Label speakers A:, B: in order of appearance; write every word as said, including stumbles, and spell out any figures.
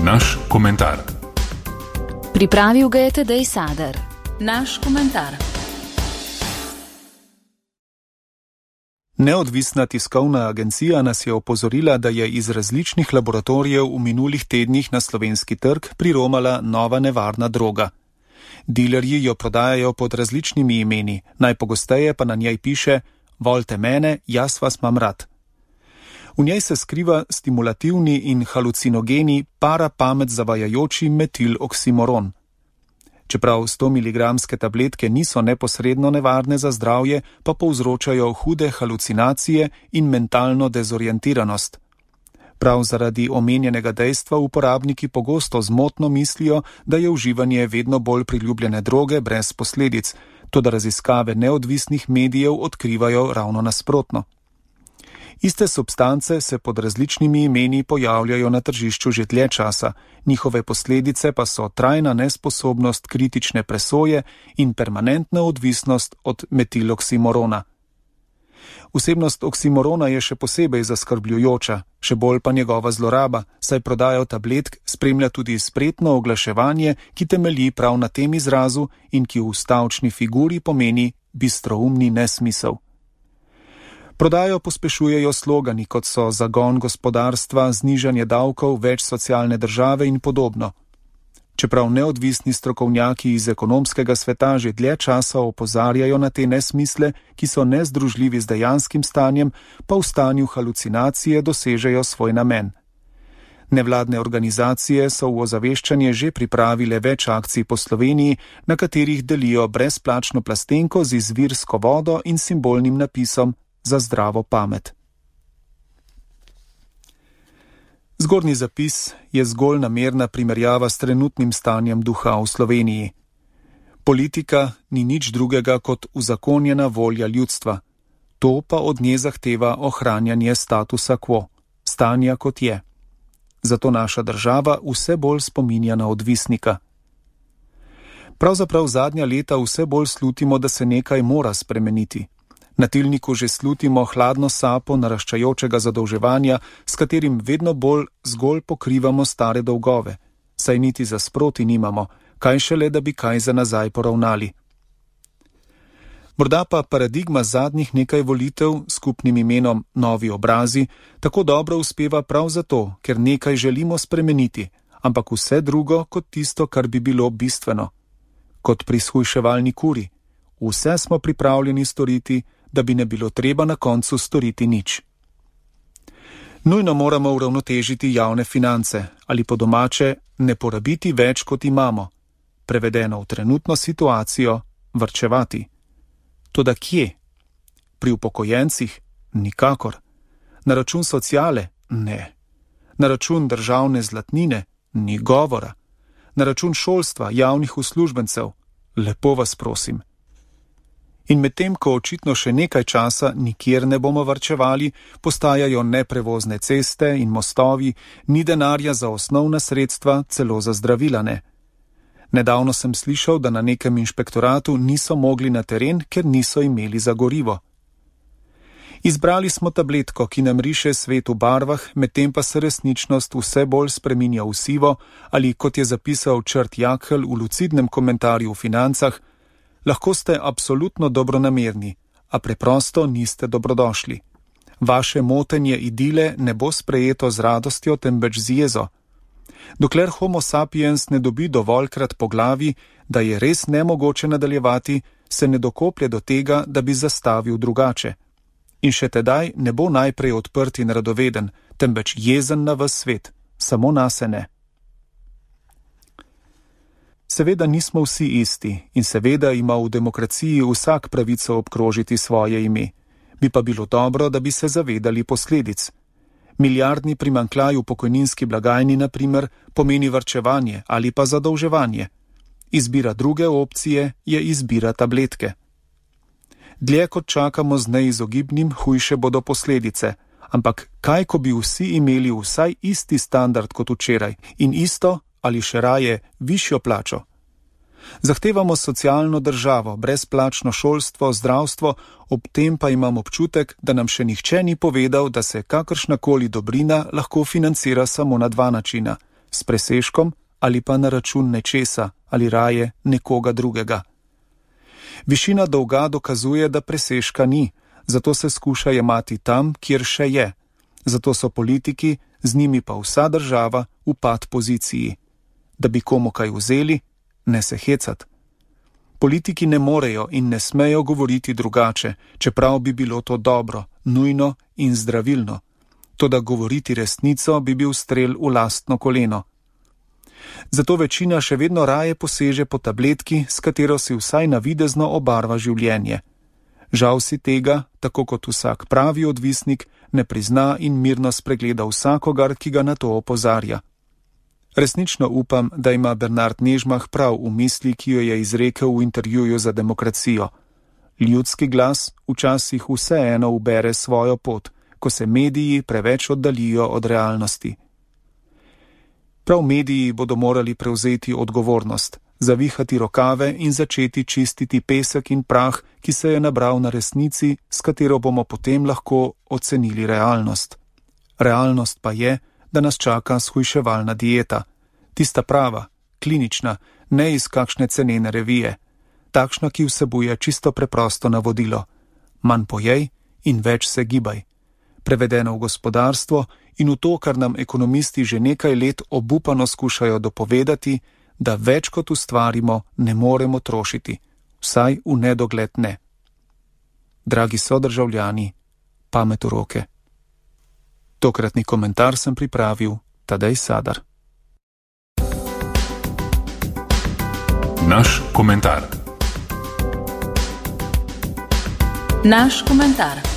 A: naš komentar.
B: Pripravil ga je Tadej Sadar. Naš komentar.
C: Neodvisna tiskovna agencija nas je opozorila, da je iz različnih laboratorijev v minulih tednih na slovenski trg priromala nova nevarna droga. Dilerji jo prodajajo pod različnimi imeni, najpogosteje pa na njej piše: "Volte mene, jaz vas mam rad." V njej se skriva stimulativni in halucinogeni parapamet zavajajoči metiloksimoron. Čeprav sto miligramske tabletke niso neposredno nevarne za zdravje, pa povzročajo hude halucinacije in mentalno dezorientiranost. Prav zaradi omenjenega dejstva uporabniki pogosto zmotno mislijo, da je uživanje vedno bolj priljubljene droge brez posledic, toda raziskave neodvisnih medijev odkrivajo ravno nasprotno. Iste substance se pod različnimi imeni pojavljajo na tržišču že dlje časa, njihove posledice pa so trajna nesposobnost kritične presoje in permanentna odvisnost od metiloksimorona. Vsebnost oksimorona je še posebej zaskrbljujoča, še bolj pa njegova zloraba, saj prodajo tabletk spremlja tudi spretno oglaševanje, ki temelji prav na tem izrazu in ki v stavčni figuri pomeni bistroumni nesmisel. Prodajo pospešujejo slogani, kot so zagon gospodarstva, znižanje davkov, več socialne države in podobno. Čeprav neodvisni strokovnjaki iz ekonomskega sveta že dlje časa opozarjajo na te nesmisle, ki so nezdružljivi z dejanskim stanjem, pa v stanju halucinacije dosežejo svoj namen. Nevladne organizacije so v ozaveščanje že pripravile več akcij po Sloveniji, na katerih delijo brezplačno plastenko z izvirsko vodo in simbolnim napisom za zdravo pamet. Zgornji zapis je zgolj namerna primerjava s trenutnim stanjem duha v Sloveniji. Politika ni nič drugega kot uzakonjena volja ljudstva. To pa od nje zahteva ohranjanje statusa quo, stanja kot je. Zato naša država vse bolj spominja na odvisnika. Pravzaprav zadnja leta vse bolj slutimo, da se nekaj mora spremeniti. Na tilniku že slutimo hladno sapo naraščajočega zadolževanja, s katerim vedno bolj zgolj pokrivamo stare dolgove, saj niti za sproti nimamo, kaj šele, da bi kaj za nazaj poravnali. Morda pa paradigma zadnjih nekaj volitev s skupnim imenom Novi obrazi tako dobro uspeva prav zato, ker nekaj želimo spremeniti, ampak vse drugo kot tisto, kar bi bilo bistveno. Kot pri shujševalni kuri, vse smo pripravljeni storiti, da bi ne bilo treba na koncu storiti nič. Nujno moramo uravnotežiti javne finance ali po domače ne porabiti več, kot imamo, prevedeno v trenutno situacijo varčevati. Toda kje? Pri upokojencih? Nikakor. Na račun sociale? Ne. Na račun državne zlatnine? Ni govora. Na račun šolstva, javnih uslužbencev? Lepo vas prosim. In medtem, ko očitno še nekaj časa nikjer ne bomo varčevali, postajajo neprevozne ceste in mostovi, ni denarja za osnovna sredstva, celo za zdravila ne. Nedavno sem slišal, da na nekem inšpektoratu niso mogli na teren, ker niso imeli za gorivo. Izbrali smo tabletko, ki nam riše svet v barvah, medtem pa se resničnost vse bolj spreminja v sivo, ali kot je zapisal Črt Jakl v lucidnem komentarju v Financah, lahko ste absolutno dobronamerni, a preprosto niste dobrodošli. Vaše motenje idile ne bo sprejeto z radostjo, temveč z jezo. Dokler homo sapiens ne dobi dovoljkrat po glavi, da je res nemogoče nadaljevati, se ne dokoplje do tega, da bi zastavil drugače. In še tedaj ne bo najprej odprt in radoveden, temveč jezen na ves svet, samo nase ne. Seveda nismo vsi isti in seveda ima v demokraciji vsak pravico obkrožiti svoje ime. Bi pa bilo dobro, da bi se zavedali posledic. Milijardni primanjkljaj v pokojninski blagajni, na primer, pomeni varčevanje ali pa zadolževanje. Izbira druge opcije je izbira tabletke. Dlje kot čakamo z neizogibnim, hujše bodo posledice. Ampak kaj, ko bi vsi imeli vsaj isti standard kot včeraj in isto ali še raje višjo plačo? Zahtevamo socialno državo, brezplačno šolstvo, zdravstvo, ob tem pa imam občutek, da nam še nihče ni povedal, da se kakršnakoli dobrina lahko financira samo na dva načina, s presežkom ali pa na račun nečesa ali raje nekoga drugega. Višina dolga dokazuje, da presežka ni, zato se skuša jemati tam, kjer še je. Zato so politiki, z njimi pa vsa država, v pad poziciji. Da bi komu kaj vzeli, ne se hecat. Politiki ne morejo in ne smejo govoriti drugače, čeprav bi bilo to dobro, nujno in zdravilno. Toda govoriti resnico bi bil strel v lastno koleno. Zato večina še vedno raje poseže po tabletki, s katero si vsaj navidezno obarva življenje. Žal si tega, tako kot vsak pravi odvisnik, ne prizna in mirno spregleda vsakogar, ki ga na to opozarja. Resnično upam, da ima Bernard Nežmah prav v misli, ki jo je izrekel v intervjuju za Demokracijo. Ljudski glas včasih vseeno ubere svojo pot, ko se mediji preveč oddalijo od realnosti. Prav mediji bodo morali prevzeti odgovornost, zavihati rokave in začeti čistiti pesek in prah, ki se je nabral na resnici, s katero bomo potem lahko ocenili realnost. Realnost pa je, da nas čaka shujševalna dieta. Tista prava, klinična, ne iz kakšne cenene revije. Takšna, ki vsebuje čisto preprosto navodilo. Manj pojej in več se gibaj. Prevedeno v gospodarstvo in v to, kar nam ekonomisti že nekaj let obupano skušajo dopovedati, da več kot ustvarimo, ne moremo trošiti. Vsaj v nedogled ne. Dragi sodržavljani, pamet v roke. Tokratni komentar sem pripravil Tadej Sadar.
A: Naš komentar.
B: Naš komentar.